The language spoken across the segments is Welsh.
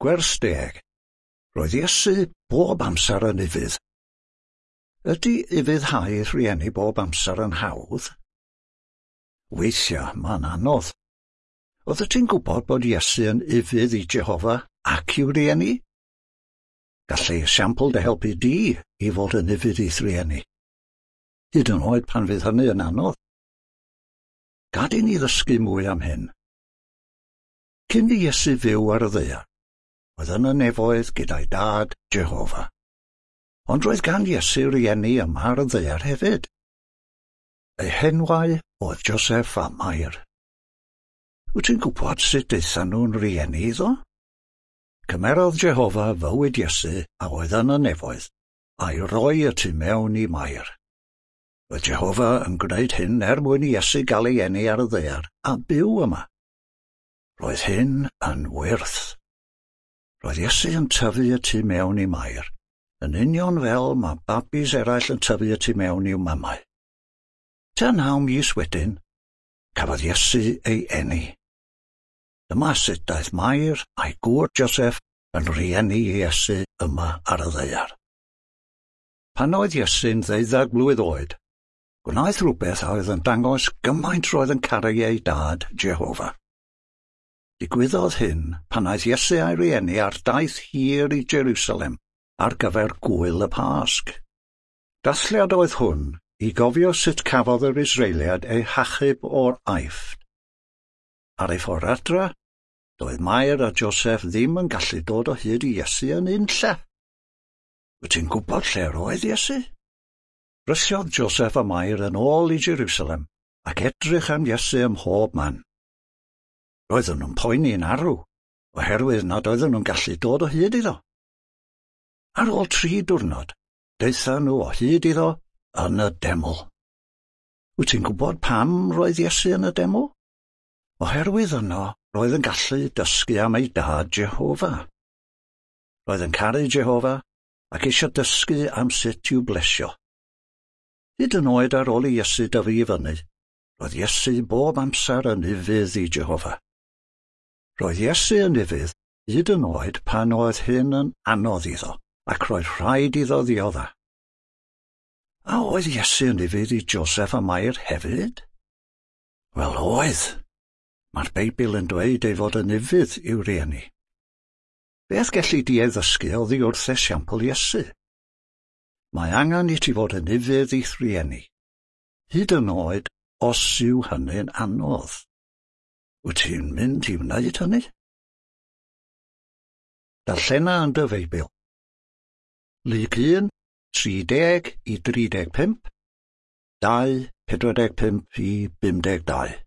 Gwers 10. Roedd Iesu bob amser yn ufudd. Ydy ufuddhau rhieni bob amser yn hawdd? Weithiau mae'n anodd. Oeddet ti'n gwybod bod Iesu yn ufudd i Jehofa ac i'w rieni? Gall ei esiampl dy helpu di i fod yn ufudd i'th rieni. Hyd yn oed pan fydd hynny yn anodd. Gad i ni ddysgu mwy am hyn. Cyn i Iesu fyw ar y ddaear, oedd yn y nefoedd gyda'i dad, Jehofa. Ond roedd gan Iesu rieni yma ar y ddaear hefyd. Eu henwau oedd Joseph a Mair. Wyt ti'n gwybod sut daethon nhw'n rieni iddo? Cymerodd Jehofa fywyd Iesu a oedd yn y nefoedd, a'i roi y tu mewn i Mair. Roedd Jehofa yn gwneud hyn er mwyn i Iesu gael ei eni ar y ddaear a byw yma. Roedd hyn yn wyrth. Roedd Iesu yn tyfu y tu mewn i Mair, yn union fel mae babis eraill yn tyfu y tu mewn i'w mamau. Tua 9 mis wedyn, cafodd Iesu ei eni. Dyma sut daeth Mair a'i gŵr Joseph yn rhieni i Iesu yma ar y ddaear. Pan oedd Iesu'n 12 mlwydd oed, gwnaeth rhywbeth a oedd yn dangos gymaint roedd yn caru ei dad, Jehofa. Digwyddodd hyn pan aeth Iesu a'i rieni ar daith hir i Jerusalem ar gyfer gŵyl y Pasg. Dathliad oedd hwn i gofio sut cafodd yr Israeliad eu hachub o'r Aifft. Ar ei ffordd adra, doedd Mair a Joseph ddim yn gallu dod o hyd i Iesu yn unlle. Wyt ti'n gwybod lle roedd Iesu? Brysiodd Joseph a Mair yn ôl i Jerusalem ac edrych am Iesu ym mhob man. Roedden nhw'n poeni'n arw, oherwydd nad oedden nhw'n gallu dod o hyd iddo. Ar ôl 3 diwrnod, daethon nhw o hyd iddo yn y deml. Wyt ti'n gwybod pam roedd Iesu yn y deml? Oherwydd yno roedd yn gallu dysgu am ei dad Jehofa. Roedd yn caru Jehofa ac eisiau dysgu am sut i'w blesio. Hyd yn oed ar ôl i Iesu dyfu i fyny, roedd Iesu bob amser yn ufudd i Jehofa. Roedd Iesu yn ufudd hyd yn oed pan oedd hyn yn anodd iddo, ac roedd rhaid iddo ddiodda. A oedd Iesu yn ufudd i Joseph a Mair hefyd? Wel, oedd. Mae'r Beibl yn dweud ei fod yn ufudd i'w rieni. Beth gelli di ei ddysgu oddi wrth esiampl Iesu? Mae angen i ti fod yn ufudd i'th rieni, hyd yn oed os yw hynny'n anodd. Wyt ti'n mynd i wneud hynny? Darllena yn dy Feibl. Luc 1, 30 i 35, 2, 45 i 52.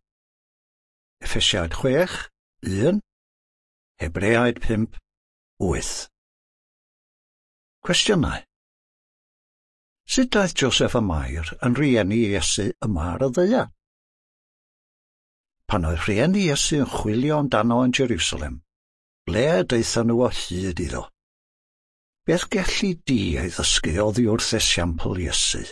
Effesiaid 6, 1, Hebreaid 5, 8. Cwestiynau. Sut daeth Joseph a Mair yn rhieni Iesu yma ar y ddaear? Pan oedd rhieni Iesu yn chwilio amdano yn Jerusalem, ble daethon nhw o hyd iddo? Beth gelli di ei ddysgu oddi wrth esiampl Iesu?